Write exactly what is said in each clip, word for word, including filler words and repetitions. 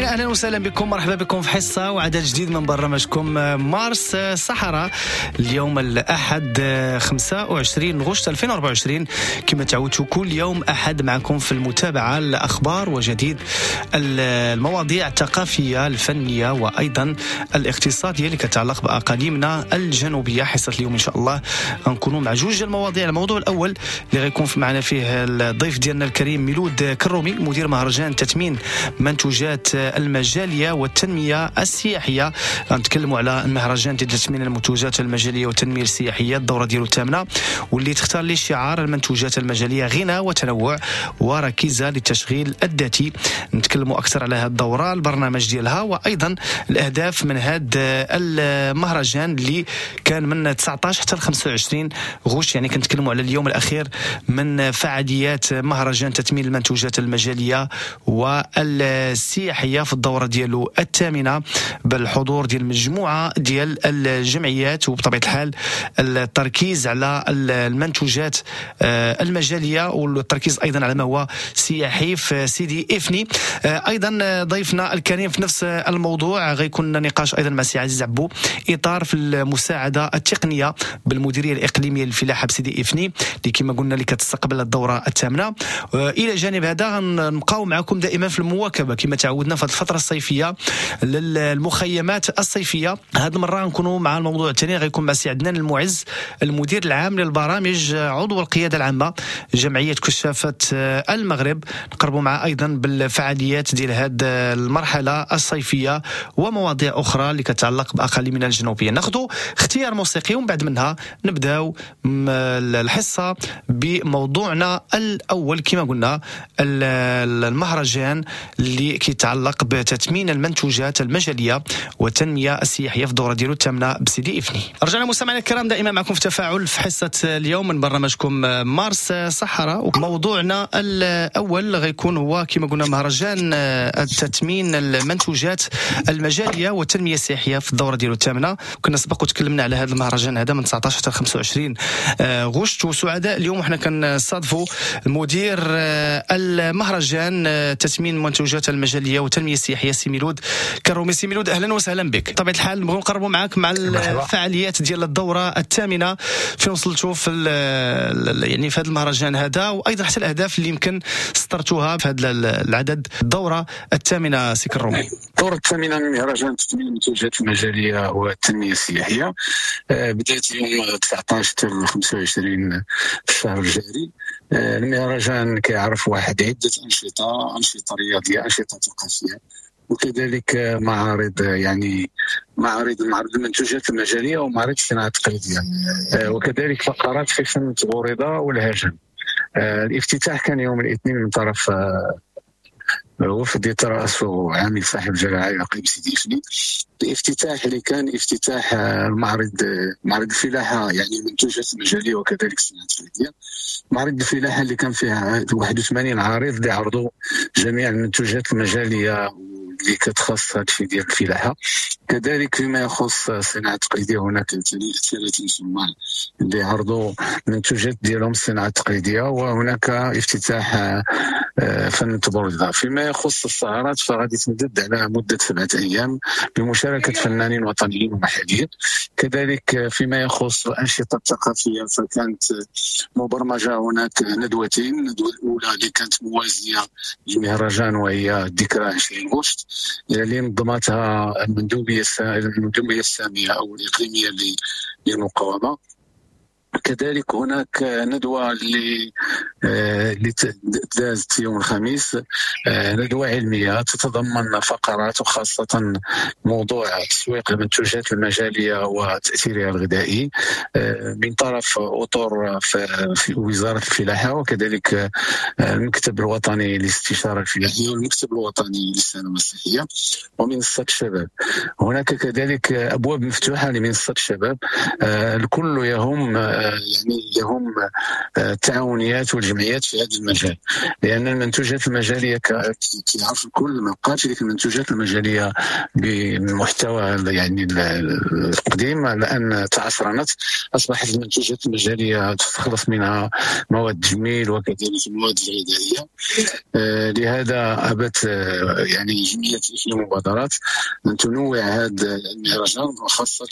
اهلا وسهلا بكم، مرحبا بكم في حصة وعدد جديد من برنامجكم مارس صحراء. اليوم الاحد خمسة وعشرين غشت ألفين وأربعة وعشرين، كما تعودتوا كل يوم احد معكم في المتابعة الاخبار وجديد المواضيع الثقافية الفنية وايضا الاقتصادية اللي كتعلق باقاليمنا الجنوبية. حصة اليوم ان شاء الله غنكونوا مع جوج المواضيع. الموضوع الاول اللي غيكون معنا فيه الضيف ديالنا الكريم ميلود كرومي، مدير مهرجان تثمين منتوجات المجالية والتنمية السياحية. غنتكلموا على المهرجان ديال تثمين المنتوجات المجالية والتنمية السياحية، الدورة ديالو الثامنة، واللي تختار لي شعار المنتوجات المجالية غنى وتنوع وركيزة للتشغيل الذاتي. نتكلموا أكثر على هذه الدورة، البرنامج ديالها، وأيضا الأهداف من هذا المهرجان اللي كان من تسعطاش حتى خمسة وعشرين غشت، يعني كنتكلموا على اليوم الأخير من فعاليات مهرجان تثمين المنتوجات المجالية والسياحية في الدورة ديالو الثامنة، بالحضور ديال مجموعة ديال الجمعيات، وبطبيعة الحال التركيز على المنتوجات المجالية والتركيز أيضا على ما هو سياحي في سيدي إفني. أيضا ضيفنا الكريم في نفس الموضوع غيكون نقاش أيضا مع سي عزيز عبو، إطار في المساعدة التقنية بالمديرية الإقليمية للفلاحة بسيدي إفني اللي كما قلنا اللي كتستقبل الدورة الثامنة. إلى جانب هذا غنبقاو معكم دائما في المواكبة كما تعودنا في الفترة الصيفية للمخيمات الصيفية. هذه المرة نكونوا مع الموضوع الثاني، غيكون مع سي عدنان المعز، المدير العام للبرامج، عضو القيادة العامة جمعية كشافة المغرب. نقربوا معه أيضا بالفعاليات ديال هذه المرحلة الصيفية ومواضيع أخرى اللي كتعلق بأقاليمنا الجنوبية. ناخذ اختيار موسيقي ومن بعد منها نبداو الحصة بموضوعنا الأول كما قلنا المهرجان اللي كيتعلق بتثمين المنتوجات المجالية والتنمية السياحية في الدورة ديالو الثامنة بسيدي إفني. رجعنا مستمعينا الكرام دائما معكم في تفاعل في حصة اليوم من برنامجكم مارس صحراء، وموضوعنا الأول غيكون هو كما قلنا مهرجان التثمين المنتوجات المجالية والتنمية السياحية في الدورة ديالو الثامنة. كنا سبق وتكلمنا على هذا المهرجان هذا من تسعطاش حتى خمسة وعشرين غشت، وسعداء اليوم وحنا كنستضيفوا المدير المهرجان تثمين المنتوجات المجالية والتنمية السياحية سي ميلود كرومي. سي ميلود أهلا وسهلا بك. طبيعة الحال نبغيو نقربوا معك مع الفعاليات ديال الدورة الثامنة، فين وصلتوا في يعني في هذا المهرجان هذا، وأيضا حتى الأهداف اللي يمكن سطرتوها في هذا العدد الدورة الثامنة سي كرومي. الدورة الثامنة من مهرجان تثمين المنتوجات المجالية والتنمية السياحية بدأت يوم تسعطاش حتى خمسة وعشرين في الشهر الجاري. المهرجان كيعرف واحد عدة أنشطة، أنشطة رياضية، أنشطة ثقافية، وكذلك معارض، يعني معارض معرض المنتوجات المجالية ومعرض الصناعة التقليدية، وكذلك فقرات في فن التبوريضة والهجن. الافتتاح كان يوم الاثنين من طرف وفد يترأسه عامل صاحب الجلالة الإقليم سيدي إفني. الافتتاح اللي كان افتتاح المعرض، معرض الفلاحة، يعني المنتوجات المجالية وكذلك الصناعة التقليدية. معرض الفلاحة اللي كان فيها واحد وثمانين عارض اللي عرضوا جميع المنتوجات المجالية اللي كتخص هادشي ديال الفلاحة. كذلك فيما يخص الصناعة التقليدية هناك ثلاثين صناع اللي عرضوا منتوجات ديالهم الصناعة التقليدية، وهناك افتتاح فن التبوريضة. فيما يخص السهرات فغادي تمدد على مدة سبعة أيام بمشاركة فنانين وطنيين ومحليين. كذلك فيما يخص الأنشطة الثقافية فكانت مبرمجة هناك ندوتين، الندوة الأولى اللي كانت موازية للمهرجان وهي ذكرى عشرين غشت اللي نظمتها المندوبية المندوبية السامية أو الإقليمية للمقاومة. كذلك هناك ندوة اللي اللي دازت يوم الخميس، ندوة علمية تتضمن فقرات وخاصة موضوع تسويق المنتوجات المجالية وتأثيرها الغذائي من طرف أطر في وزارة الفلاحة، وكذلك المكتب الوطني للاستشارة الفلاحية والمكتب الوطني للسلامة الصحية ومنصة الشباب. هناك كذلك أبواب مفتوحة لمنصة الشباب، الكل يهم يعني يهم التعاونيات والجمعيات في هذا المجال، لان المنتوجات المجاليه كيعرف الكل ما بقاتش ديك المنتوجات المجاليه بمحتوى يعني القديم، لان تعصرنت، اصبحت المنتوجات المجاليه تستخلص منها مواد تجميل وكذلك المواد الغذائية. لهذا ابت يعني جمعية في المبادرات ان تنوع هذا المهرجان وخاصة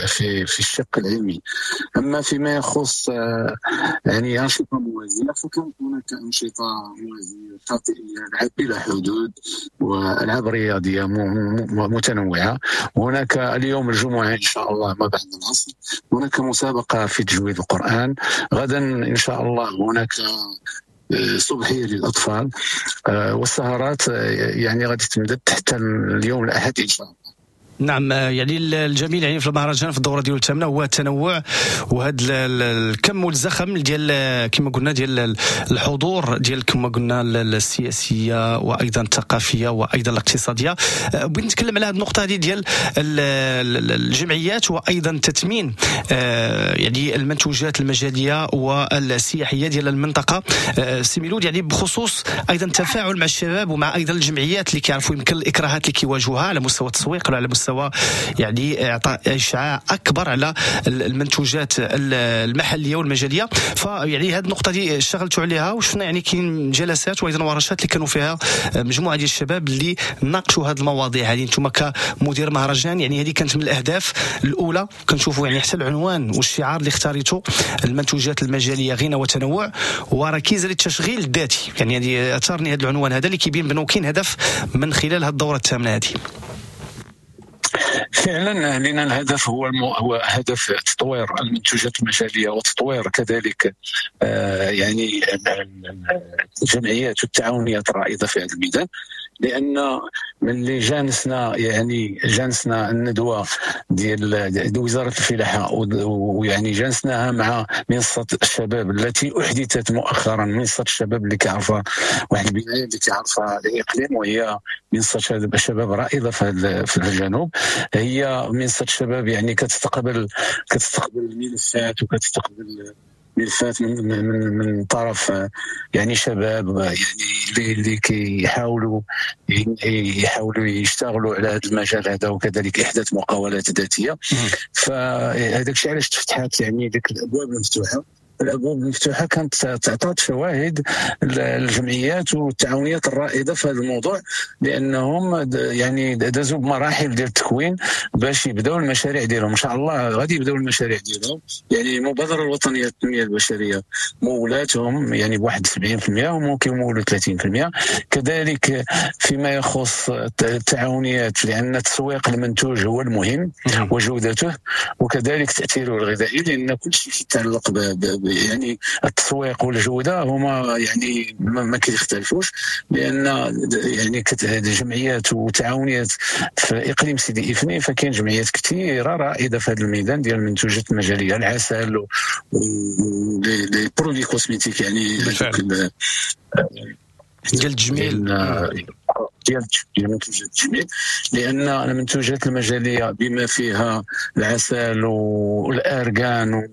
في في الشق العلمي. اما فيما يخص يعني انشطة موازية، فكانت هناك انشطة موازية شاطئيه، العاب بلا حدود والعاب رياضية متنوعة. هناك اليوم الجمعة ان شاء الله ما بعد العصر هناك مسابقة في تجويد القران، غدا ان شاء الله هناك صبحيه للاطفال، والسهرات يعني غادي تمدد حتى اليوم الاحد ان شاء الله. نعم، يعني الجميل يعني في المهرجان في الدورة ديال الثامنة هو التنوع وهذا الكم والزخم ديال كما قلنا ديال الحضور ديال كما قلنا السياسية وايضا الثقافية وايضا الاقتصادية. بغيت نتكلم على هذه النقطة هذه ديال الجمعيات وايضا تثمين يعني المنتوجات المجاليه والسياحيه ديال المنطقة سي ميلود، يعني بخصوص ايضا التفاعل مع الشباب ومع ايضا الجمعيات اللي كيعرفوا يمكن الاكراهات اللي كيواجهوها على مستوى التسويق ولا على مستوى سواء يعني اعطاء اشعاع اكبر على المنتوجات المحلية والمجاليه. فيعني هذه النقطة دي اشتغلتوا عليها وشفنا يعني كاين جلسات وايضا ورشات اللي كانوا فيها مجموعة ديال الشباب اللي ناقشوا هذه المواضيع هذه. انتم كمدير مهرجان يعني هذه كانت من الاهداف الاولى، كنشوفوا يعني حتى العنوان والشعار اللي اختاريته المنتوجات المجاليه غنى وتنوع وركيزه للتشغيل الذاتي، يعني هذه اثارني هذا العنوان هذا اللي كيبين بانه كاين هدف من خلال هذه الدورة الثامنة هذه. فعلا لأن الهدف هو المو... هو هدف تطوير المنتوجات المجاليه وتطوير كذلك آه يعني الجمعيات والتعاونيات الرائدة في هذا الميدان، لان من اللي جانسنا يعني جانسنا الندوة ديال وزارة الفلاحة ويعني جانسناها مع منصة الشباب التي احدثت مؤخرا، منصة الشباب اللي كيعرفها واحد البناية اللي كيعرفها الاقليم وهي منصة الشباب رائدة في الجنوب. هي منصة الشباب يعني كتستقبل كتستقبل الملفات وكتستقبل ملفات من من من طرف يعني شباب يعني اللي اللي كيحاولوا يحاولوا يشتغلوا على هذا المجال هذا، وكذلك احداث مقاولات ذاتية. فهذاك الشيء علاش تفتحات يعني ديك الابواب المفتوحة. الابواب المفتوحة كانت تعطات شواهد الجمعيات والتعاونيات الرائدة في هذا الموضوع، لانهم يعني دازوا بمراحل ديال التكوين باش يبداو المشاريع ديالهم. ان شاء الله غادي يبداو المشاريع ديالهم. يعني المبادرة الوطنية للتنمية البشرية مولاتهم يعني بواحد سبعين بالمئة وممكن يمولوا ثلاثين بالمئة. كذلك فيما يخص التعاونيات، لان تسويق المنتوج هو المهم وجودته وكذلك تاثيره الغذائي، لان كل شيء يتعلق ب يعني التسويق والجودة هما يعني ما كيختلفوش، لان يعني جمعيات وتعاونيات في اقليم سيدي افني فكاين جمعيات كثيرة رائدة في هذا الميدان ديال المنتوجات المجاليه، العسل و les produits cosmétiques يعني ديال التجميل ديال المنتوجات التجميل، لان المنتوجات المجاليه بما فيها العسل والارغان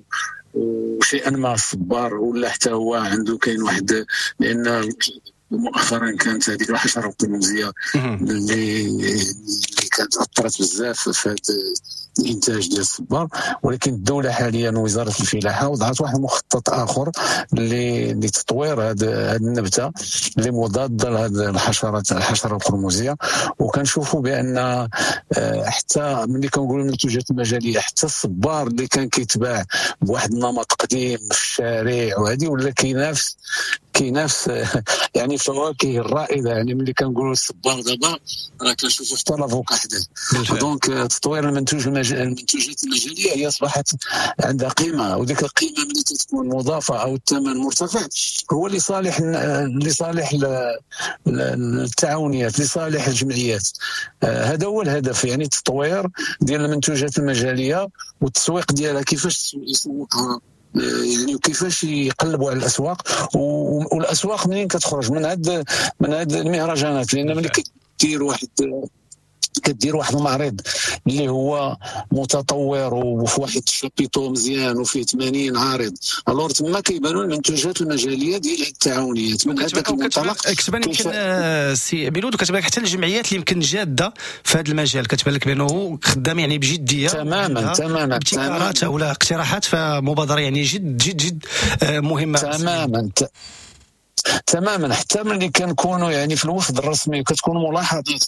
وشيئا ما الصبار ولا حتى هو عنده كاين واحد، لان مؤخرا كانت هذيك الحشرة القرمزيه اللي اللي كانت اثرت بزاف في هذا الانتاج ديال الصبار، ولكن الدولة حاليا وزارة الفلاحة وضعت واحد المخطط اخر لتطوير هذه النبتة اللي مضادة لهذه الحشرات الحشرة القرمزيه. وكنشوفوا بان حتى ملي كنقولوا المنتوجات المجاليه حتى الصبار اللي كان كيتباع بواحد النمط قديم في الشارع وهذه ولا كينافس كينافس يعني الفواكه الرائدة. يعني ملي كنقولوا الصبار دابا راه كنشوفوا حتى l'avocat حداه. donc تطوير المنتوج المنتوجات المجاليه هي اصبحت عندها قيمة، وديك القيمة ملي تكون مضافة او الثمن مرتفع هو لصالح لصالح التعاونيات، لصالح الجمعيات. هذا هو الهدف، يعني التطوير ديال المنتوجات المجاليه والتسويق ديالها، كيفاش يسوقها يعني وكيفاش يقلبوا على الاسواق، والاسواق منين كتخرج من هاد من هاد المهرجانات. لان ملي كدير واحد كدير واحد المعرض اللي هو متطور وفي واحد ال chapiteau مزيان وفيه ثمانين عارض، alors تما كيبانوا المنتوجات المجاليه ديال التعاونيات. من هذاك المنطلق كتبان يمكن سي ميلود، وكتبان لك حتى الجمعيات اللي يمكن جاده في هذا المجال، كتبان لك بانه خدام يعني بجدية تماما تماما ابتكارات ولا اقتراحات، فمبادره يعني جد جد جد مهمة تماما تماما. حتى ملي كنكونوا يعني في الوفد الرسمي وكتكون ملاحظات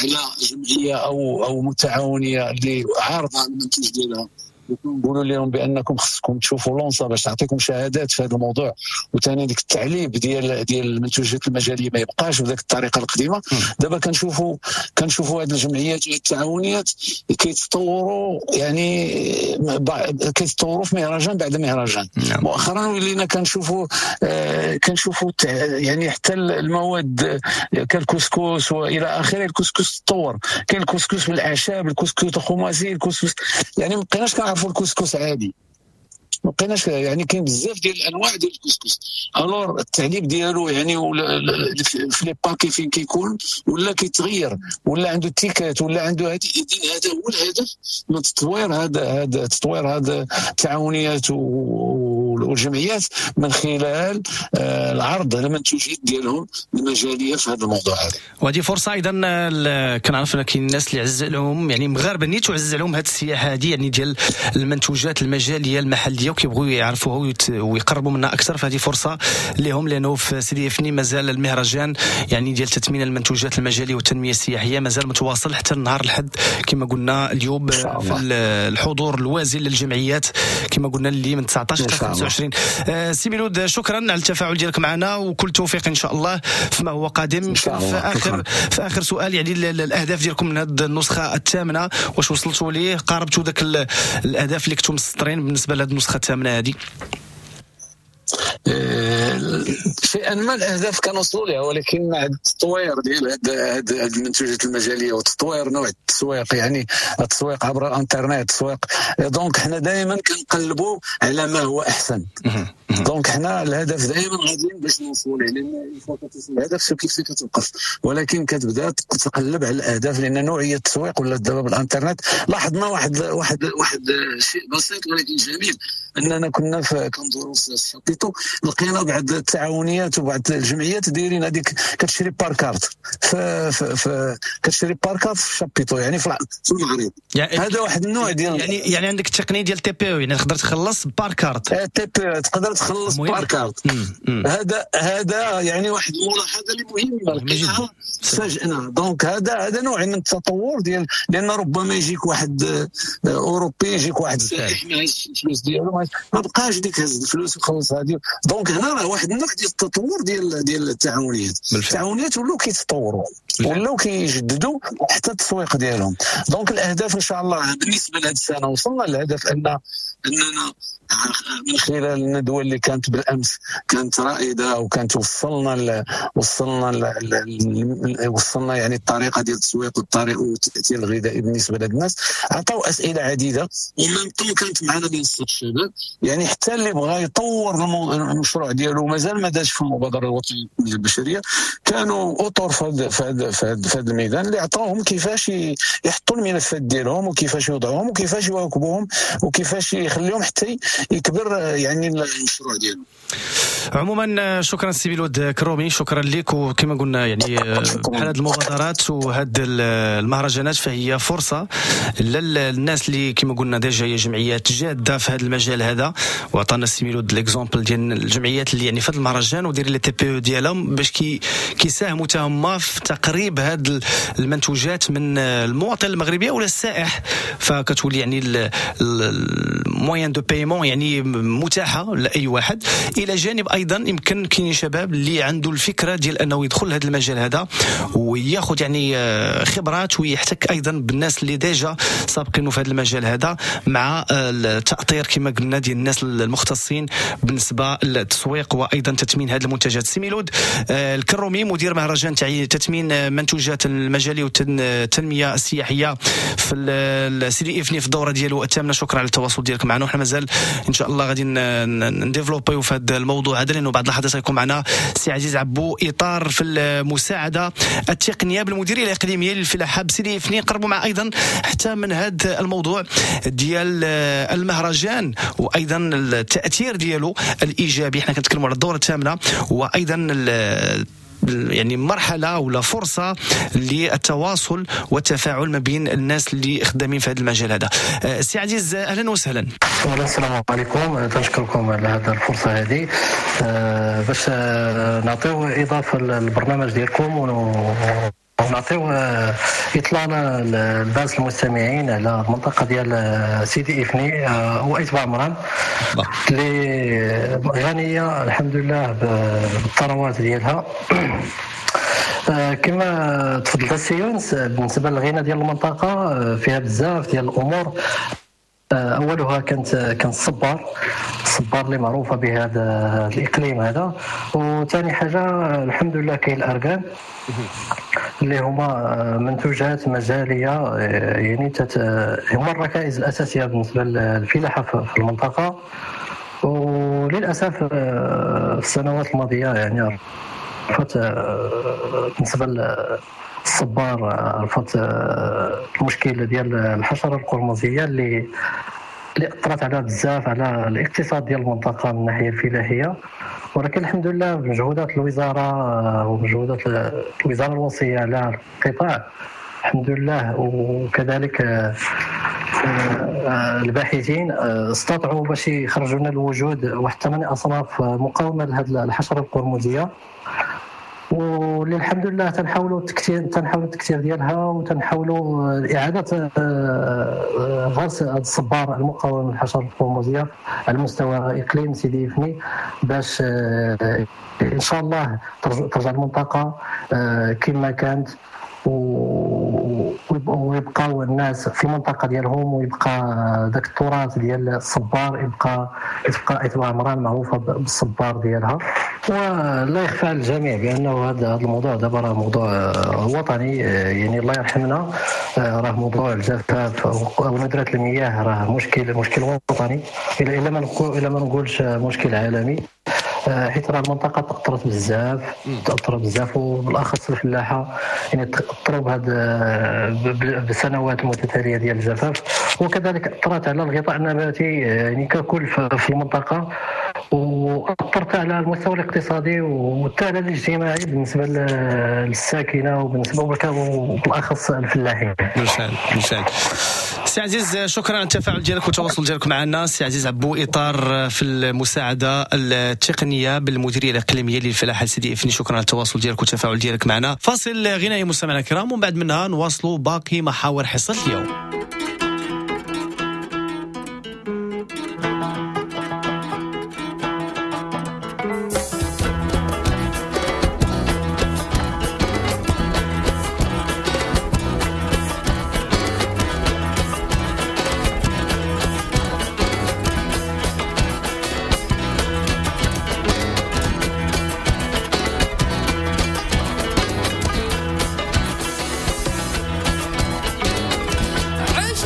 على جمعية او او متعاونيه اللي عارضه المنتوج ديالها، نقولوا لهم بانكم خصكم تشوفوا l'ONSSA باش تعطيكم شهادات في هذا الموضوع، وثاني ديك التعليب ديال ديال المنتوجات المجاليه ما يبقاش بذاك الطريقة القديمة. دابا كنشوفوا كنشوفوا هذه الجمعيات والتعاونيات كيتطوروا، يعني كيتطوروا في مهرجان بعد مهرجان. مؤخرا ولينا كنشوفوا آه كنشوفوا يعني حتى المواد كالكسكس والى اخره. الكسكس تطور، كاين الكسكس بالاعشاب، الكسكس الخماسي، الكسكس يعني ما بقيناش كنعرفوا الكسكس عادي، ما بقيناش يعني كاين بزاف ديال الانواع ديال الكسكس. alors التعليب ديالو يعني في les paquets فين كيكون ولا كيتغير، ولا عنده étiquette، ولا عنده هذه. هذا هو الهدف من تطوير هذا هذا تطوير هذا التعاونيات والجمعيات من خلال العرض على المنتوجات ديالهم المجاليه في هذا الموضوع هذا. وهذه فرصة ايضا كنعرف ان كاين الناس اللي عز عليهم يعني مغاربة نيت وعز عليهم هذه السياحة هذه يعني ديال المنتوجات المجاليه المحلية، وكيبغوا يعرفوها ويقربوا منها اكثر، فهذه فرصة لهم، لانه في سيدي افني مازال المهرجان يعني ديال تثمين المنتوجات المجاليه والتنمية السياحية مازال متواصل حتى النهار الحد كما قلنا اليوم، في الحضور الوازن للجمعيات كما قلنا اللي من تسعطاش حتى خمسة وعشرين. آه سي ميلود، شكرا على التفاعل ديالك معنا، وكل توفيق ان شاء الله فيما هو قادم. في اخر في اخر سؤال، يعني الاهداف ديالكم من هذه النسخة الثامنة واش وصلتوا ليه؟ قاربتوا ذاك الاهداف اللي كنتم مسطرين بالنسبة لهذه النسخة الثامنة هذه؟ شيئا ما الاهداف كنوصلوا لها، ولكن مع التطوير ديال هاد هاد المنتوجات المجاليه وتطوير نوع التسويق، يعني التسويق عبر الانترنت، التسويق، donc حنا دائما كنقلبوا على ما هو احسن. donc حنا الهدف دائما غاديين باش نوصلوا ليه، لان une fois كتوصل للهدف كيف كتوقف، ولكن كتبدا تقلب على الاهداف، لان نوعية التسويق ولا دابا بالانترنت لاحظنا واحد واحد واحد شيء بسيط ولكن جميل، اننا كنا كندوروا في ال chapiteau لقينا بعض التعاونيات وبعض الجمعيات دايرين هذيك كتشري par carte في في كتشري par carte في ال chapiteau يعني في المغرب. يعني هذا واحد النوع ديال يعني يعني عندك التقنية ديال TPE، يعني تقدر تخلص par carte، TPE تقدر تخلص par carte. هذا هذا يعني واحد الملاحظة اللي مهمة لقيناها فاجئنا. donc هذا هذا نوع من التطور ديال، لان ربما يجيك واحد اوروبي، يجيك واحد سائح ما هزش الفلوس ديالو، ما بقاش ديك هز الفلوس وخلص هذه. donc هنا راه واحد النوع ديال التطور ديال ديال التعاونيات. التعاونيات ولاو كيتطوروا، ولاو كيجددوا حتى التسويق ديالهم. donc الاهداف ان شاء الله بالنسبة لهذه السنة وصلنا للهدف، ان اننا من خلال الندوة اللي كانت بالامس كانت رائدة، وكانت وصلنا ل... وصلنا ل... وصلنا يعني الطريقة ديال التسويق والطريقة والتاثير الغذائي بالنسبة لهاد الناس. عطاو اسئلة عديدة، و même temps كانت معنا منصة الشباب، يعني حتى اللي بغى يطور المشروع ديالو مازال ما داش في المبادرة الوطنية للتنمية البشرية، كانوا اطر في هذا في هذا الميدان اللي عطاوهم كيفاش يحطوا الملفات ديالهم، وكيفاش يوضعوهم، وكيفاش يواكبوهم، وكيفاش يخليهم حتى يكبر يعني المشروع ديالو. عموما شكرا سي ميلود كرومي، شكرا لك. وكما قلنا يعني بحال هذه المبادرات وهاد المهرجانات فهي فرصة للناس اللي كما قلنا déjà هي جمعيات جاده في هذا المجال هذا، وعطانا سي ميلود l'exemple ديال الجمعيات اللي يعني في هذا المهرجان ودير les TPE ديالهم باش كي كيساهموا حتى هما في تقريب هاد المنتوجات من المواطن المغربي ولا السائح، فكتولي يعني ال moyen de paiement يعني متاحة لاي واحد. الى جانب ايضا يمكن كاين شباب اللي عنده الفكرة ديال انه يدخل هذا المجال هذا وياخذ يعني خبرات ويحتك ايضا بالناس اللي déjà سابقينه في هذا المجال هذا، مع التاطير كما قلنا ديال الناس المختصين بالنسبة للتسويق وايضا تثمين هذه المنتجات. سي ميلود الكرومي، مدير مهرجان تثمين منتوجات المجالي والتنمية السياحية في سيدي افني في الدورة ديالو الثامنة، شكرا على التواصل ديالك معنا. معنا، وحنا مازال ان شاء الله غادي نديفلوبيو في هذا الموضوع هذا، لانه بعد لحظات غيكون معنا سي عزيز عبو اطار في المساعدة التقنية بالمديريه الاقليمية للفلاحه بسيدي افني. نقربوا مع ايضا حتى من هذا الموضوع ديال المهرجان وايضا التاثير ديالو الايجابي. حنا كنتكلموا على الدورة الثامنة وايضا يعني مرحلة ولا فرصة للتواصل والتفاعل ما بين الناس اللي خدامين في هذا المجال هذا. سي عزيز اهلا وسهلا. السلام عليكم، تنشكركم على هذه الفرصة هذه باش نعطيو اضافه للبرنامج ديالكم ونعطيو اطلالة للناس المستمعين على المنطقة ديال سيدي افني وايت باعمران اللي غنية الحمد لله بالثروات ديالها. كما تفضلت السي يونس، بالنسبة للغنى ديال المنطقة فيها بزاف ديال الامور. اولها كانت كانت الصبار، الصبار اللي معروفة بهذا الاقليم هذا. وثاني حاجة الحمد لله كاين الارغان اللي هما منتوجات مجاليه، يعني تت... هما الركائز الاساسية بالنسبة للفلاحه في المنطقة. وللاسف في السنوات الماضية يعني عرفت بالنسبة للصبار عرفت المشكل ديال الحشرة القرمزيه اللي اللي اثرت على بزاف على الاقتصاد ديال المنطقة من الناحية الفلاحية. ولكن الحمد لله بمجهودات الوزارة ومجهودات الوزارة الوصية على القطاع الحمد لله، وكذلك الباحثين استطاعوا باش يخرجوا لنا الوجود واحد ثمانية اصناف مقاومة لهذه الحشرة القرمزيه، واللي الحمد لله تنحاولوا التكثير تنحاولوا التكثير ديالها وتنحاولوا اعاده غرس الصبار المقاوم للحشره القرمزيه على مستوى اقليم سيدي افني باش ان شاء الله ترجع المنطقة كما كانت ويبقاو الناس في المنطقة ديالهم، ويبقى ذاك التراث ديال الصبار يبقى تبقى ايت باعمران معروفة بالصبار ديالها. ولا يخفى على الجميع بانه هذا الموضوع دابا راه موضوع وطني، يعني الله يرحمنا راه موضوع الجفاف وندره المياه راه مشكل مشكل وطني، الا ما الا ما نقولش مشكل عالمي، حيت راه المنطقة تاثرت بزاف تاثرت بزاف وبالاخص الفلاحة يعني تاثروا بهذا بالسنوات المتتالية ديال الجفاف، وكذلك اثرت على الغطاء النباتي يعني ككل في المنطقة، واثرت على المستوى الاقتصادي وحتى على الاجتماعي بالنسبة للساكنه وبالنسبة وبالاخص الفلاحين. بالفعل بالفعل. سي عزيز شكرا على التفاعل ديالك والتواصل ديالك معنا. سي عزيز عبو اطار في المساعدة التقنية بالمديريه الاقليمية للفلاحه سيدي افني، شكرا على التواصل ديالك والتفاعل ديالك معنا. فاصل غنائي مستمعينا الكرام، ومن بعد منها نواصلوا باقي محاور حصة اليوم. عشت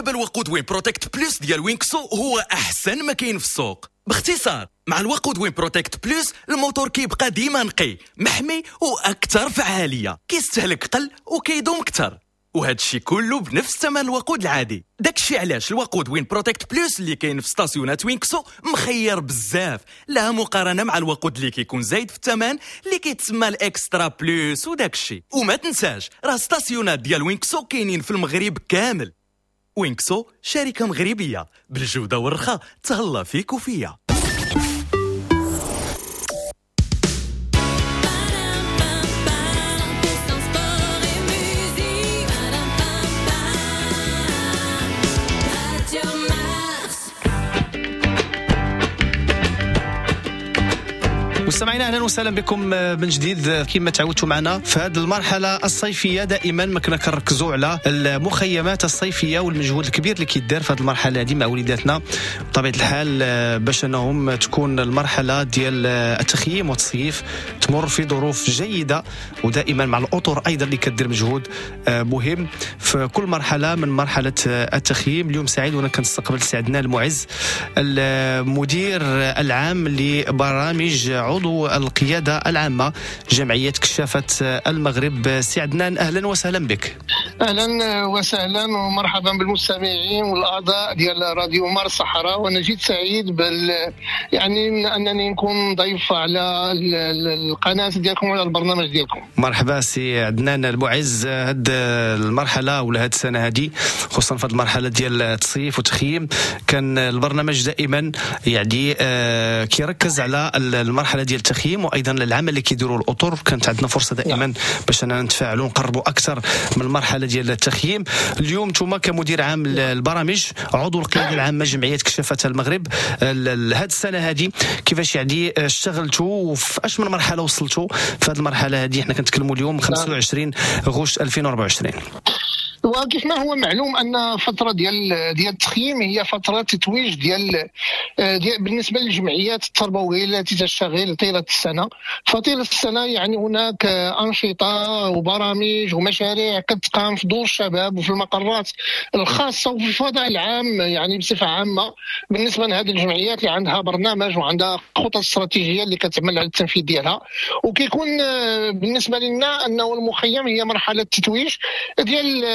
دابا الوقود Win Protect Plus ديال وينكسو هو احسن ما كاين في السوق. باختصار مع الوقود Win Protect Plus الموتور كيبقى ديما نقي، محمي واكثر فعالية، كيستهلك قل وكيدوم اكثر، وهذا الشيء كله بنفس ثمن الوقود العادي. داكشي علاش الوقود Win Protect Plus اللي كاين في ستاسيونات وينكسو مخير بزاف، لا مقارنة مع الوقود اللي كيكون زايد في الثمن اللي كيتسمى ال extra plus وداكشي. وما تنساش راه ستاسيونات ديال وينكسو كاينين في المغرب كامل. وينكسو شركة مغربية بالجودة والرخاء، تهلا فيك وفيا. مستمعينا اهلا وسهلا بكم من جديد. كما تعودتوا معنا في هذه المرحلة الصيفية دائما ما كنا كنركزوا على المخيمات الصيفية والمجهود الكبير اللي كيدار في هذه المرحلة هذه مع وليداتنا بطبيعة الحال، باش انهم تكون المرحلة ديال التخييم والتصيف تمر في ظروف جيدة، ودائما مع الاطر ايضا اللي كدير مجهود مهم في كل مرحلة من مرحلة التخييم. اليوم سعيد وانا كنستقبل سي عدنان المعز، المدير العام لبرامج عضو القيادة العامة جمعية كشافة المغرب. سي عدنان أهلا وسهلا بك. أهلا وسهلا ومرحبا بالمستمعين والأعضاء ديال راديو مارس الصحراء، وأنا جد سعيد بال يعني أنني نكون ضيف على القناة ديالكم وعلى البرنامج ديالكم. مرحبا سي عدنان المعز. هاد المرحلة ولا هاد السنة هادي خصوصا في هاد المرحلة ديال التصيف والتخييم كان البرنامج دائما يعني كيركز على المرحلة ديال التخييم وايضا العمل اللي كيديروا الاطر. كانت عندنا فرصة دائما باش اننا نتفاعلوا ونقربوا اكثر من المرحلة ديال التخييم. اليوم نتوما كمدير عام البرامج عضو القيادة العامة جمعية كشافه المغرب، هذه السنة هذه كيفاش يعني اشتغلتوا وفي اش من مرحلة وصلتوا في هذه المرحلة هذه؟ حنا كنتكلموا اليوم خمسة وعشرين غشت ألفين وأربعة وعشرين. وكيف ما هو معلوم ان فترة ديال ديال التخييم هي فترة تتويج ديال, ديال بالنسبة للجمعيات التربوية التي تشتغل طيلة السنة. فطيله السنة يعني هناك انشطة وبرامج ومشاريع كتقام في دور الشباب وفي المقرات الخاصة وفي الفضاء العام يعني بصفة عامة بالنسبة لهذه الجمعيات اللي عندها برنامج وعندها خطط استراتيجية اللي كتعمل على التنفيذ ديالها. وكيكون بالنسبة لنا انه المخيم هي مرحلة تتويج ديال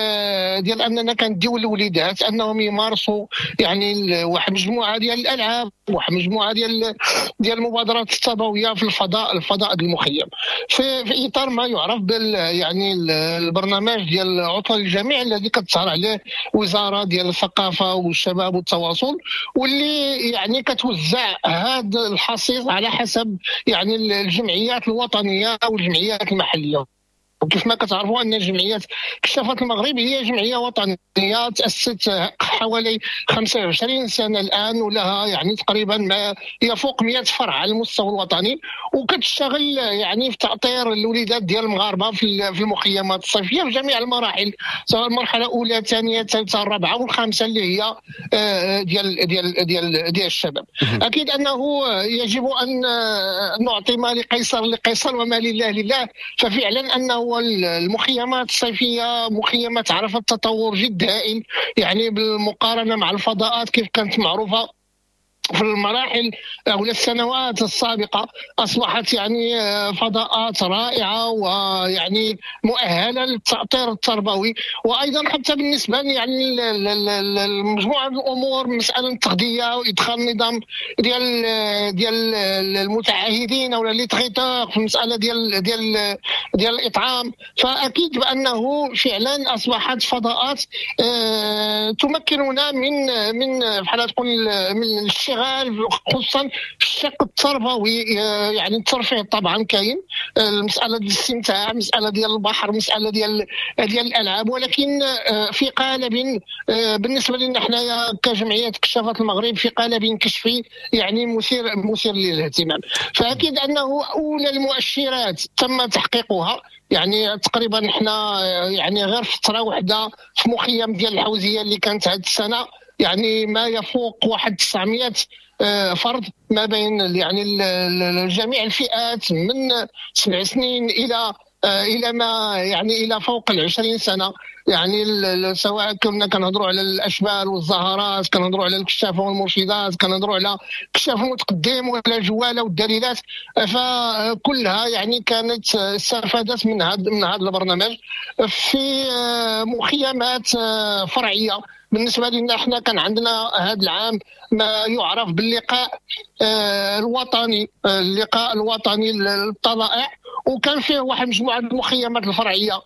ديال اننا كنديو الوليدات انهم يمارسوا يعني واحد مجموعة ديال الالعاب، واحد مجموعة ديال ديال المبادرات التربوية في الفضاء الفضاء المخيم في, في اطار ما يعرف بال يعني البرنامج ديال عطله للجميع الذي كتسهر عليه وزارة ديال الثقافة والشباب والتواصل، واللي يعني كتوزع هذا الحصيص على حسب يعني الجمعيات الوطنية والجمعيات المحلية. وكيف ما كتعرفوا ان جمعية كشافة المغرب هي جمعية وطنية تاسست حوالي خمسة وعشرين سنة الان، ولها يعني تقريبا ما يفوق مئة فرع على المستوى الوطني، وكتشتغل يعني في تاطير الوليدات ديال المغاربة في المخيمات الصيفية في جميع المراحل، سواء المرحلة الاولى الثانية الثالثة الرابعة والخامسة اللي هي ديال ديال ديال ديال الشباب. اكيد انه يجب ان نعطي ما لقيصر لقيصر وما لله لله، ففعلا انه المخيمات الصيفية مخيمات عرفت تطور جد هائل يعني بالمقارنة مع الفضاءات كيف كانت معروفة في المراحل أو السنوات السابقة. أصبحت يعني فضاءات رائعة ويعني مؤهلة للتأطير التربوي، وأيضا حتى بالنسبة يعني لمجموعة الأمور، مسألة التغذية وإدخال نظام ديال ديال المتعهدين أو les traiteurs في المسألة ديال ديال ديال الإطعام. فأكيد بأنه فعلا أصبحت فضاءات تمكننا من من بحال تقول من الاشتغال خصوصا في الشق التربوي. يعني الترفيه طبعا كاين، المسالة ديال الاستمتاع، مسالة ديال البحر، مسالة ديال ديال الالعاب، ولكن في قالب بالنسبة لنا حنايا كجمعية كشافة المغرب في قالب كشفي يعني مثير مثير للاهتمام. فاكيد انه اولى المؤشرات تم تحقيقها، يعني تقريبا حنا يعني غير فترة واحدة في مخيم ديال الحوزيه اللي كانت هذه السنة يعني ما يفوق واحد تسعمئة فرد ما بين يعني جميع الفئات من سبع سنين الى الى ما يعني الى فوق العشرين سنة، يعني سواء كنا كنهضروا على الاشبال والزهرات، كنهضروا على الكشافه والمرشدات، كنهضروا على كشاف المتقدم ولا الجواله والدليلات، فكلها يعني كانت استفادت من هذا من هذا البرنامج في مخيمات فرعية. بالنسبة لنا احنا كان عندنا هذا العام ما يعرف باللقاء الوطني، اللقاء الوطني للطلائع، وكان فيه واحد مجموعة المخيمات الفرعية،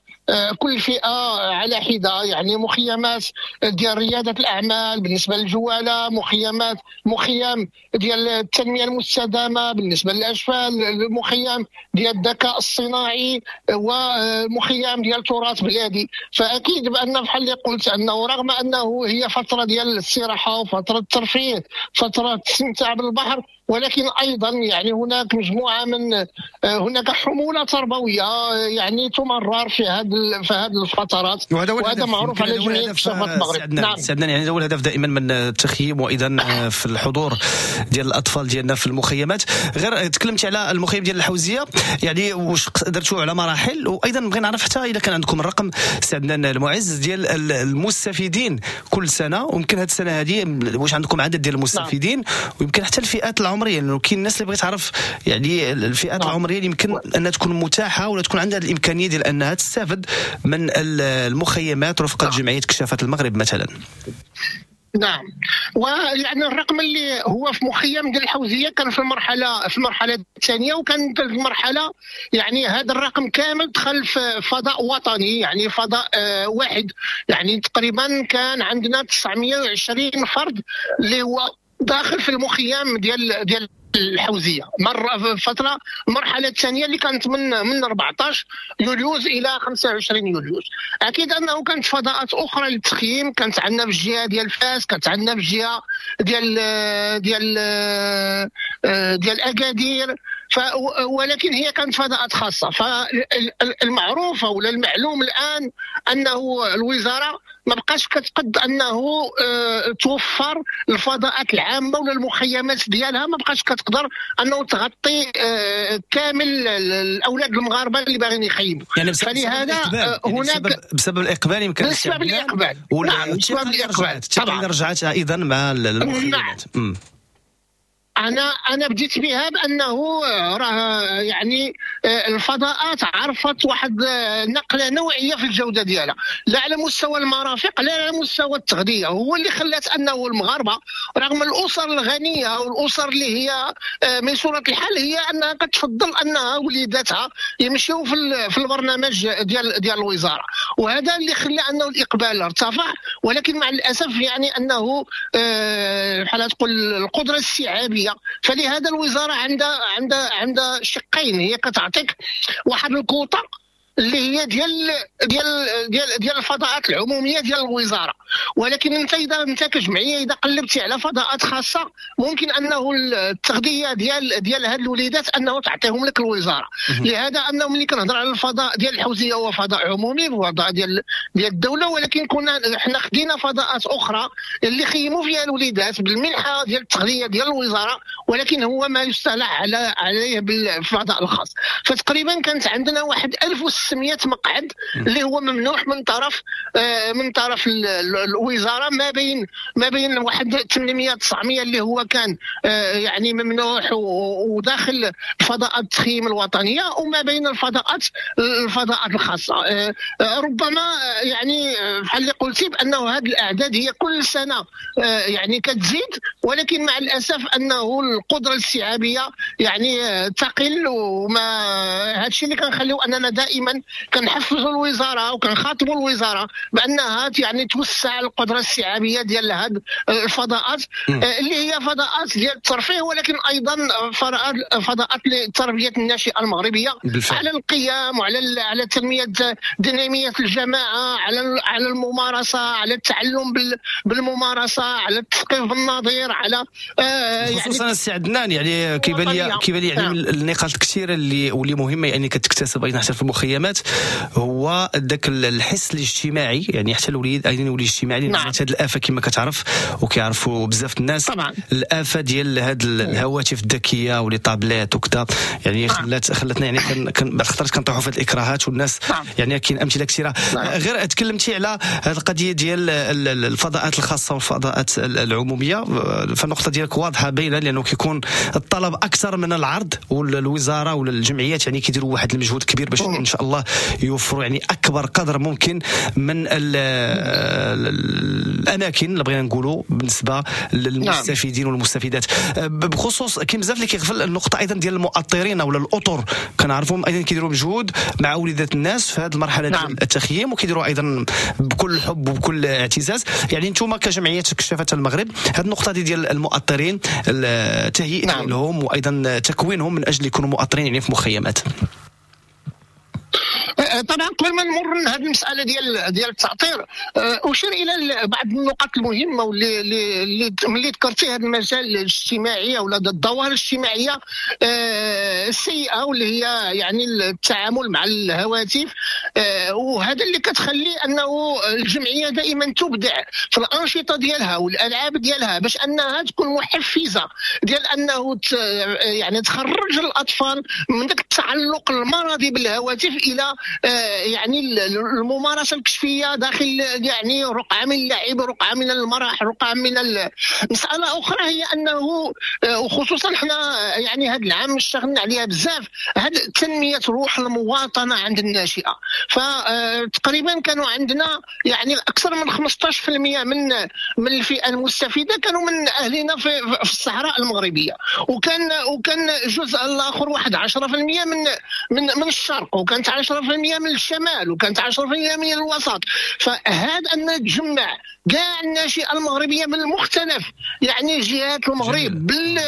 كل فئة على حده، يعني مخيمات ديال رياده الاعمال بالنسبة للجواله، مخيمات مخيم ديال التنمية المستدامة بالنسبة للاشفال، مخيم ديال الذكاء الصناعي، ومخيم ديال تراث بلادي. فاكيد بان بحال اللي قلت انه رغم انه هي فترة ديال الاستراحة وفترة الترفيه، فترة الاستمتاع بالبحر، ولكن ايضا يعني هناك مجموعة من هناك حمولة تربوية يعني تمرر في هذه في هذه الفترات، وهذا, وهذا معروف على جميع كشافات المغرب. نعم سعدنا، يعني هذا هو الهدف دائما من التخييم، وايضا في الحضور ديال الاطفال ديالنا في المخيمات. غير تكلمت على المخيم ديال الحوزيه، يعني واش درتوا على مراحل، وايضا بغينا نعرف حتى اذا كان عندكم الرقم سعدنا المعز ديال المستفيدين كل سنة، ويمكن هذه السنة هذه واش عندكم عدد ديال المستفيدين، ويمكن حتى الفئات العمرية، لانه كاين الناس اللي بغيت تعرف يعني الفئات العمرية اللي يمكن انها تكون متاحة ولا تكون عندها الامكانية ديال انها تستافد من المخيمات رفقه جمعية كشافات المغرب مثلا. نعم، ويعني الرقم اللي هو في مخيم ديال الحوزيه كان في المرحلة في المرحلة الثانية، وكان في المرحلة يعني هذا الرقم كامل دخل في فضاء وطني، يعني فضاء واحد، يعني تقريبا كان عندنا تسعمية وعشرين فرد اللي هو داخل في المخيم ديال ديال الحوزيه. مرة في فترة المرحلة الثانية اللي كانت من من أربعطاش يوليوز الى خمسة وعشرين يوليوز. اكيد انه كانت فضاءات اخرى للتخييم، كانت عندنا في الجهة ديال فاس، كانت عندنا في الجهة ديال ديال ديال اكادير، ف ولكن هي كانت فضاءات خاصة. فالمعروفه ولا المعلوم الان انه الوزارة ما بقاش كتقد انه توفر الفضاءات العامة ولا المخيمات ديالها، ما بقاش كتقدر انه تغطي كامل الاولاد المغاربة اللي باغيين يخيموا. يعني فلهذا يعني هناك بسبب, بسبب الاقبال، يمكن بسبب الاقبال، نعم بسبب الاقبال طبعا رجعت ايضا مع المخيمات. نعم. انا انا بديت بها بانه راه يعني الفضاءات عرفت واحد نقله نوعية في الجودة ديالها، لا على مستوى المرافق لا على مستوى التغذية. هو اللي خلات انه المغاربة رغم الاسر الغنية والاسر اللي هي ميسوره الحال، هي انها كتفضل انها وليداتها يمشيو في في البرنامج ديال ديال الوزارة، وهذا اللي خلى انه الاقبال ارتفع. ولكن مع الاسف يعني انه بحال تقول القدرة الاستيعابيه، فلهذا الوزارة عندها عندها عندها شقين، هي كتعطيك واحد الكوطه اللي هي ديال ديال ديال ديال الفضاءات العمومية ديال الوزارة، ولكن انت اذا انت كجمعية اذا قلبتي على فضاءات خاصة ممكن انه التغذية ديال ديال هاد الوليدات انه تعطيهم لك الوزارة. لهذا انه ملي كنهضر على الفضاء ديال الحوزيه هو فضاء عمومي، فضاء ديال ديال الدولة، ولكن كنا حنا خدينا فضاءات اخرى اللي خيموا فيها الوليدات بالمنحه ديال التغذية ديال الوزارة، ولكن هو ما يصطلح على عليه بالفضاء الخاص. فتقريبا كانت عندنا واحد ألف وستمية مقعد اللي هو ممنوح من طرف من طرف الوزارة، ما بين ما بين واحد ثمنمية تسعمية اللي هو كان يعني ممنوح وداخل فضاءات التخييم الوطنية، وما بين الفضاءات الفضاءات الخاصة. ربما يعني بحال اللي قلتي بانه هذه الاعداد هي كل سنة يعني كتزيد، ولكن مع الاسف انه القدرة الاستيعابيه يعني تقل، وما هذا الشيء اللي كنخليو اننا دائما كنحفزوا الوزارة وكنخاطبوا الوزارة بانها يعني توسع القدرة الاستيعابيه ديال هذه الفضاءات اللي هي فضاءات ديال الترفيه، ولكن ايضا فضاءات لتربية الناشئة المغربية بالفعل. على القيام وعلى على تنمية ديناميه الجماعة، على على الممارسة، على التعلم بالممارسة، على التثقيف بالنظير، على آه خصوصا يعني السي عدنان يعني كيبان لي كيبان لي يعني من النقاط الكثيرة اللي واللي مهمة يعني كتكتسب ايضا حتى في المخيمات. المخيمات هو ذاك الحس الاجتماعي، يعني حتى الوليد ايضا يولي اجتماعي، لان هذه الافة كما كتعرف وكيعرفوا بزاف الناس طبعا. الافة ديال هاد الهواتف الذكية و les tablettes وكذا، يعني خلات خلتنا يعني كن بعض الخطرات كنطيحوا في هاد الاكراهات والناس. نعم. يعني كاين امثلة كثيرة. نعم. غير تكلمتي على هذه القضية ديال الفضاءات الخاصة والفضاءات العمومية، فالنقطه ديالك واضحة باينة، لانه كيكون الطلب اكثر من العرض، والوزارة ولا الجمعيات يعني كيديروا واحد المجهود كبير باش ان شاء الله يوفروا يعني اكبر قدر ممكن من الاماكن اللي بغينا نقولوا بالنسبة للمستفيدين. نعم. والمستفيدات. بخصوص كاين بزاف اللي كيغفل النقطة ايضا ديال المؤطرين ولا الاطر، كنعرفهم ايضا كيديروا مجهود مع وليدات الناس في هذه المرحلة. نعم. ديال التخييم، وكيديروا ايضا بكل حب وبكل اعتزاز. يعني انتم كجمعية كشافه المغرب هذه النقطة دي ديال المؤطرين، التهيئه. نعم. لهم وايضا تكوينهم من اجل يكونوا مؤطرين يعني في مخيمات. طبعا قبل ما نمر لهذه المسالة ديال ديال التاطير، اشير الى بعض النقاط المهمة واللي اللي ملي ذكرتي هذا المجال الاجتماعي ولا الظواهر الاجتماعية السيئة واللي هي يعني التعامل مع الهواتف، وهذا اللي كتخلي انه الجمعية دائما تبدع في الانشطة ديالها والالعاب ديالها باش انها تكون محفزه ديال انه يعني تخرج الاطفال من ذاك التعلق المرضي بالهواتف الى يعني الممارسة الكشفيه داخل يعني رقعه من اللعب، رقعه من المرح، رقعه من ال... مسالة اخرى هي انه وخصوصا حنا يعني هذا العام اشتغلنا عليها بزاف، هذا تنمية روح المواطنة عند الناشئة. فتقريبا كانوا عندنا يعني اكثر من خمسطاش بالمية من من الفئة المستفيده كانوا من اهلنا في, في الصحراء المغربية، وكان وكان الجزء الاخر واحد عشرة بالمية من من من الشرق، وكانت عشرة بالمية من الشمال، وكانت عشرة بالمية من الوسط. فهذا ان تجمع كاع الناشئة المغربية من المختلف يعني جهات المغرب بال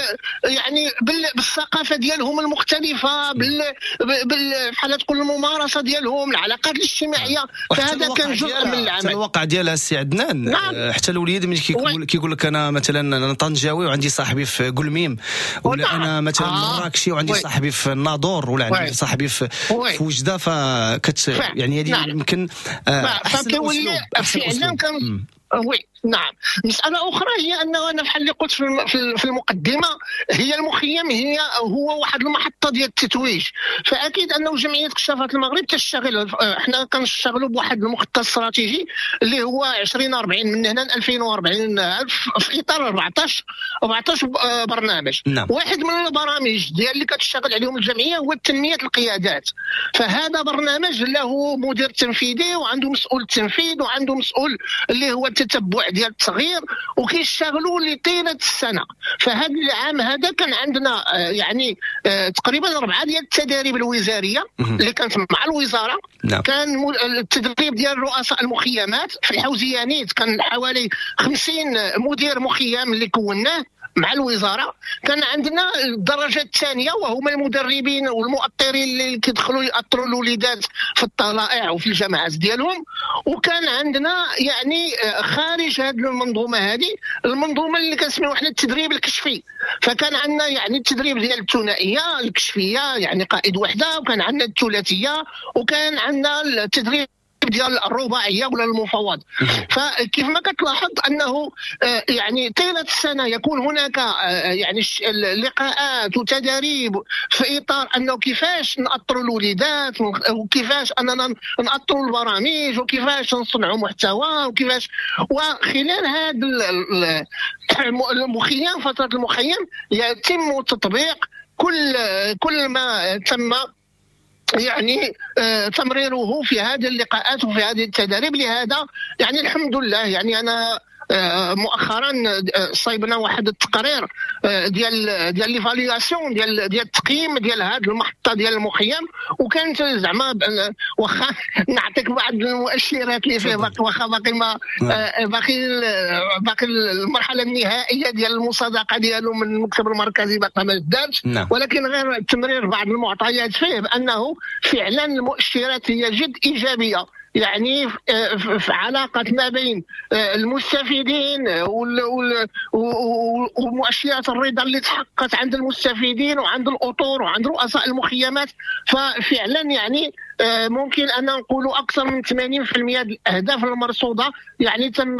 يعني بال بالثقافة ديالهم المختلفة، بال بال بحال تقول الممارسة ديالهم، العلاقات الاجتماعية. فهذا كان جزء من العمل. حتى الواقع ديالها السي عدنان. نعم. حتى الوليد ملي كيقول كيقول لك انا مثلا انا طنجاوي وعندي صاحبي في قلميم، ولا انا مثلا آه. مراكشي وعندي وي. صاحبي في الناظور، ولا عندي صاحبي في, في وجده، فكت يعني هذه نعم. يمكن احسن اسلوب. فعلا كان oui. نعم. مسألة أخرى هي أنه أنا بحال اللي قلت في المقدمة، هي المخيم هي هو واحد المحطة ديال التتويج. فأكيد أنه جمعية كشافات المغرب تشتغل، احنا كنشتغلوا بواحد المخطط استراتيجي اللي هو عشرين أربعين من هنا ألفين وأربعين في إطار أربعطاش أربعطاش برنامج. نعم. واحد من البرامج ديال اللي كتشتغل عليهم الجمعية هو تنمية القيادات. فهذا برنامج له مدير تنفيذي وعنده مسؤول التنفيذ وعنده مسؤول اللي هو التتبع ديال التغيير، وكيشتغلوا لطيله السنة. فهذا العام هذا كان عندنا يعني تقريبا اربعة ديال التداريب الوزارية اللي كانت مع الوزارة. نعم. كان التدريب ديال رؤساء المخيمات في الحوزيانيت، كان حوالي خمسين مدير مخيم اللي كوناه مع الوزارة. كان عندنا الدرجة الثانية وهما المدربين والمؤطرين اللي كيدخلوا يأطروا الوليدات في الطلائع وفي الجامعات ديالهم. وكان عندنا يعني خارج هذه المنظومة هذه المنظومة اللي كنسميوها حنا التدريب الكشفي. فكان عندنا يعني التدريب ديال الثنائية الكشفيه يعني قائد وحده، وكان عندنا الثلاثية، وكان عندنا التدريب ديال الرباعية ولا المفوض. فكيف ما كتلاحظ انه يعني طيلة السنة يكون هناك يعني لقاءات وتداريب في اطار انه كيفاش نأطروا الوليدات، وكيفاش اننا نأطروا البرامج، وكيفاش نصنعوا محتوى، وكيفاش. وخلال هذا المخيم فترة المخيم يتم تطبيق كل كل ما تم يعني تمريره في هذه اللقاءات وفي هذه التداريب. لهذا يعني الحمد لله، يعني انا مؤخرا صايبنا واحد التقرير ديال ديال l'évaluation ديال ديال التقييم ديال هذه المحطة ديال المخيم، وكانت زعما واخا نعطيك بعض المؤشرات اللي فيه، واخا باقي ما باقي باقي المرحلة النهائية ديال المصادقة ديالو من المكتب المركزي باقي ما دارتش، ولكن غير تمرير بعض المعطيات فيه بانه فعلا المؤشرات هي جد ايجابية. يعني في علاقة ما بين المستفيدين ومؤشرات الرضا اللي تحققت عند المستفيدين وعند الأطر وعند رؤساء المخيمات. ففعلا يعني ممكن أن نقول أكثر من ثمانين بالمئة الأهداف المرصودة يعني تم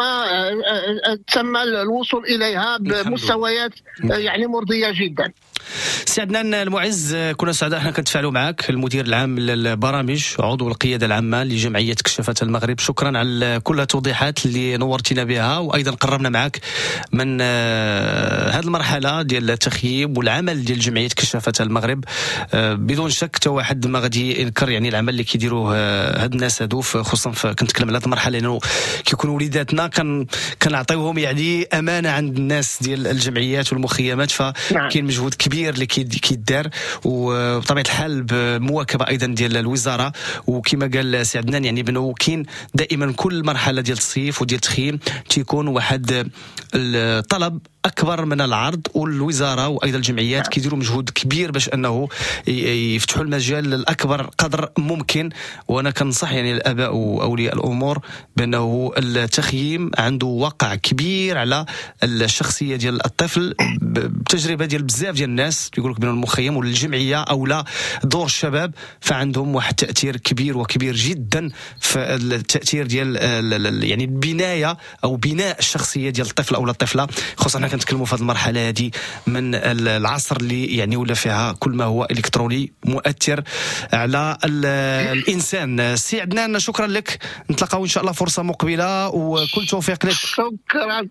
تم الوصول إليها بمستويات يعني مرضية جدا. سي عدنان المعز، كنا سعداء احنا كنتفاعلوا معك، المدير العام للبرامج عضو القيادة العامة لجمعية كشافة المغرب. شكرا على كل التوضيحات اللي نورتينا بها، وايضا قربنا معك من هذه المرحلة ديال التخييم والعمل ديال جمعية كشافة المغرب. بدون شك حتى واحد ما غادي ينكر يعني العمل اللي كيديروه هاد الناس هادو، خصوصا كنتكلم على هذه المرحلة لانه كيكونوا وليداتنا كان كنعطيوهم يعني امانه عند الناس ديال الجمعيات والمخيمات، فكاين مجهود كبير اللي كيدار، وبطبيعة الحال بمواكبه ايضا ديال الوزارة. وكما قال سي عدنان يعني بانه كاين دائما كل مرحلة ديال التصيف وديال التخييم تيكون واحد الطلب اكبر من العرض، والوزارة وايضا الجمعيات كيديروا مجهود كبير باش انه يفتحوا المجال للاكبر قدر ممكن. وانا كنصح يعني الاباء واولياء الامور بانه التخييم عنده وقع كبير على الشخصية ديال الطفل، بتجربه ديال بزاف ديال الناس يقول لك بان المخيم والجمعية او لا دور الشباب فعندهم واحد التاثير كبير وكبير جدا في التاثير ديال يعني البناية او بناء الشخصية ديال الطفل او الطفلة، خصوصا حنا كنتكلموا في هذه المرحلة هذه من العصر اللي يعني ولا فيها كل ما هو الكتروني مؤثر على الانسان. سي عدنان شكرا لك، نتلاقاو ان شاء الله فرصة مقبله وكل توفيق لك. شكرا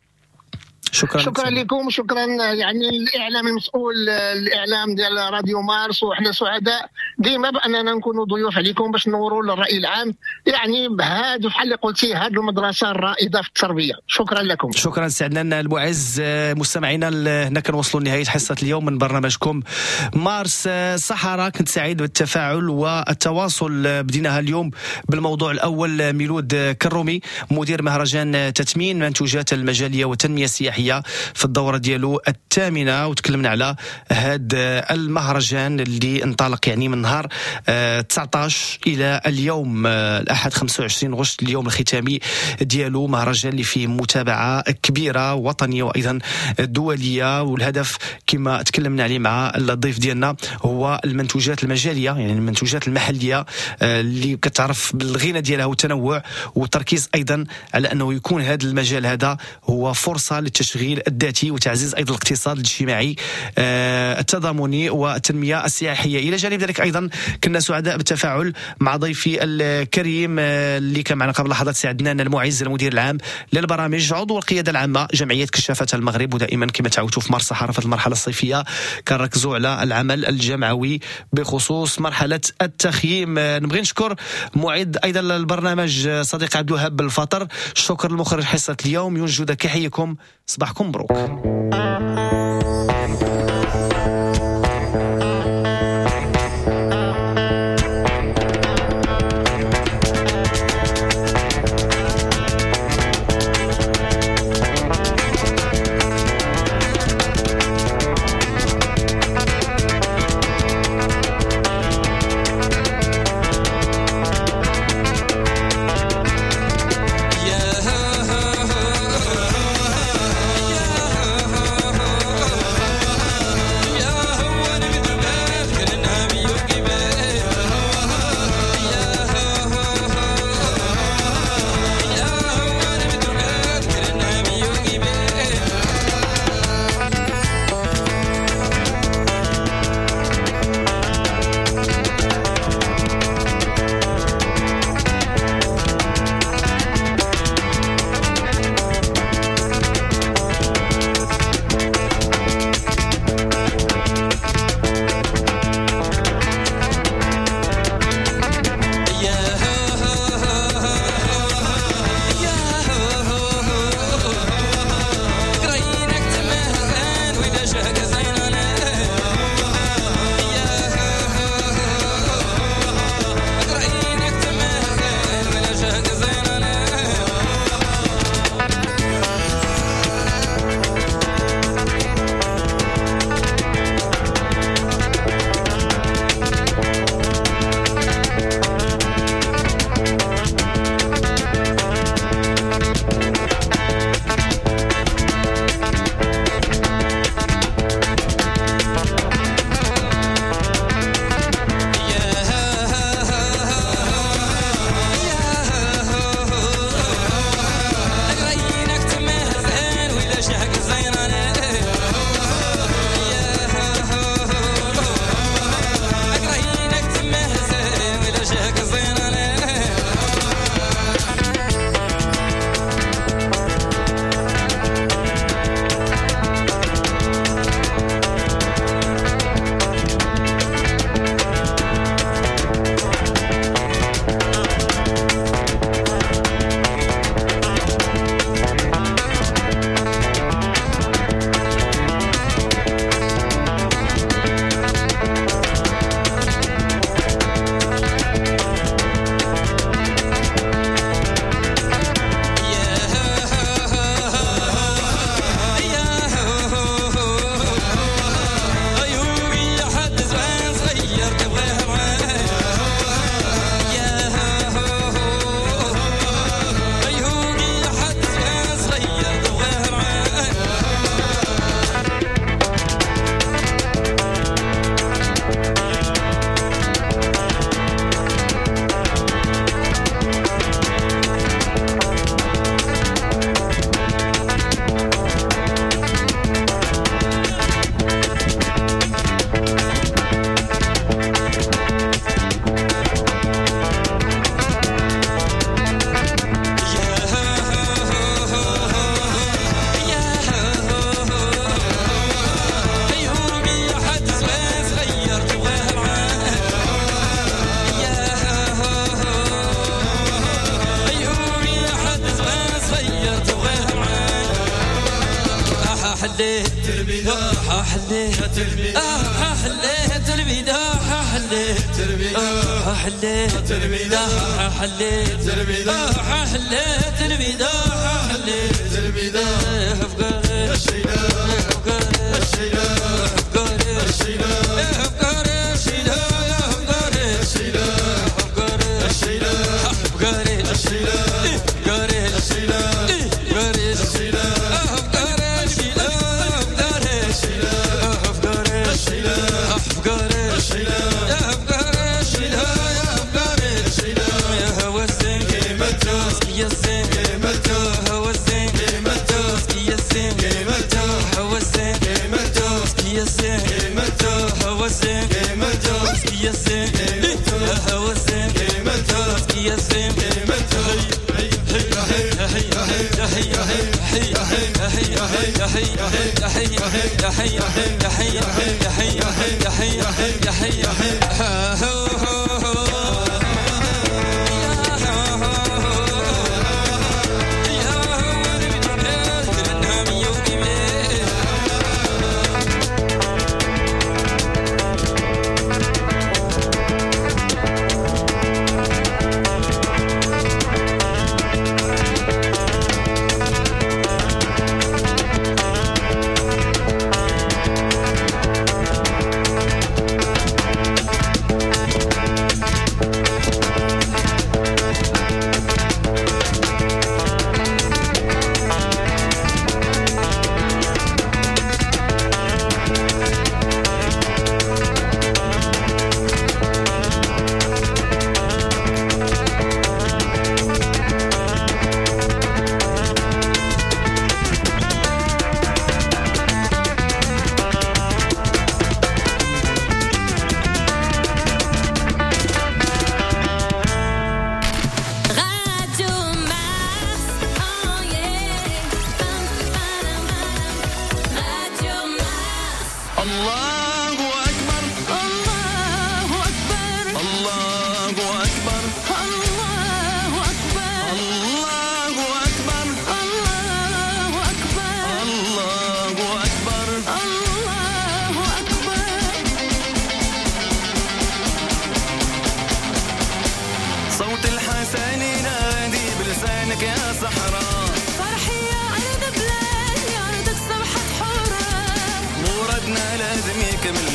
شكرا شكرا لكم، شكرا يعني الاعلام المسؤول، الاعلام ديال راديو مارس، وحنا سعداء ديما باننا نكونوا ضيوف عليكم باش نوروا للراي العام يعني بهذا بحال اللي قلتي هذه المدرسة الرائدة في التربية. شكرا لكم. شكرا سي عدنان المعز. مستمعينا هنا كنوصلوا لنهاية حصة اليوم من برنامجكم مارس صحراء. كنت سعيد بالتفاعل والتواصل. بديناها اليوم بالموضوع الاول، ميلود كرومي مدير مهرجان تثمين منتوجات المجاليه والتنمية السياحية في الدورة ديالو الثامنة، وتكلمنا على هذا المهرجان اللي انطلق يعني من نهار تسعطاش إلى اليوم الأحد خمسة وعشرين غشت، اليوم الختامي ديالو. مهرجان اللي فيه متابعة كبيرة وطنية وأيضا دولية، والهدف كما تكلمنا عليه مع الضيف ديالنا هو المنتوجات المجالية، يعني المنتوجات المحلية اللي كتعرف بالغنى ديالها والتنوع، والتركيز أيضا على أنه يكون هذا المجال هذا هو فرصة للتشغيل الذاتي وتعزيز أيضا الاقتصاد الاجتماعي التضامني والتنمية السياحية. إلى جانب ذلك أيضا كنا سعداء بالتفاعل مع ضيفي الكريم اللي كان معنا قبل لحظات، سي عدنان المعز المدير العام للبرامج عضو القيادة العامة جمعية كشافة المغرب. ودائما كما تعودتوا في مارس صحراء في المرحلة الصيفية كنركزوا على العمل الجمعوي بخصوص مرحلة التخييم. نبغي نشكر معد أيضا البرنامج صديق عبد الوهاب بالفطر. شكر المخرج حصة اليوم ينجد كحيكم. صباحكم مبروك. Yeah. حليت البداح حليت البداح حليت البداح حليت البداح حليت البداح حليت البداح حليت البداح حليت البداح افكار الشيلة افكار الشيلة افكار الشيلة افكار الشيلة افكار الشيلة افكار الشيلة افكار الشيلة افكار الشيلة افكار الشيلة افكار الشيلة افكار الشيلة افكار الشيلة افكار الشيلة افكار الشيلة افكار الشيلة يا هو الزين قيمته يا الزين قيمته هو الزين قيمته يا الزين قيمته هو الزين قيمته يا الزين قيمته هو الزين قيمته يا الزين قيمته هو الزين قيمته يا الزين قيمته هي هي هي هي هي هي هي هي هي هي هي هي هي هي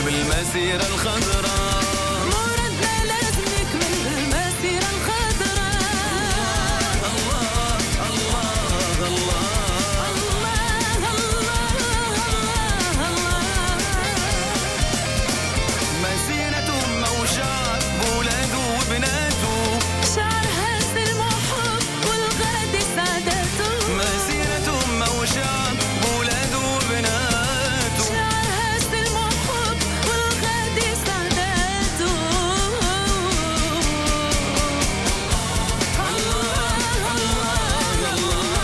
بالمسيرة الخضراء مرادنا لازم يكمل بالمسيرة الخضراء. الله الله الله الله الله الله مسيرة أمة وشعب بولاده وبناته شعرها سلم وحب والغد سعادته. مسيرة أمة وشعب بولاده وبناته شعرها سلم وحب والغد سعادته. الله الله الله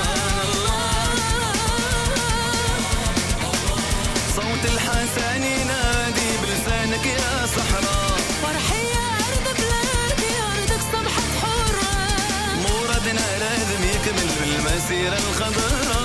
صوت الحسن ينادي بلسانك يا صحراء فرحي يا أرض بلادي أرضك صبحت حرة مرادنا لازم يكمل بالمسيرة الخضراء.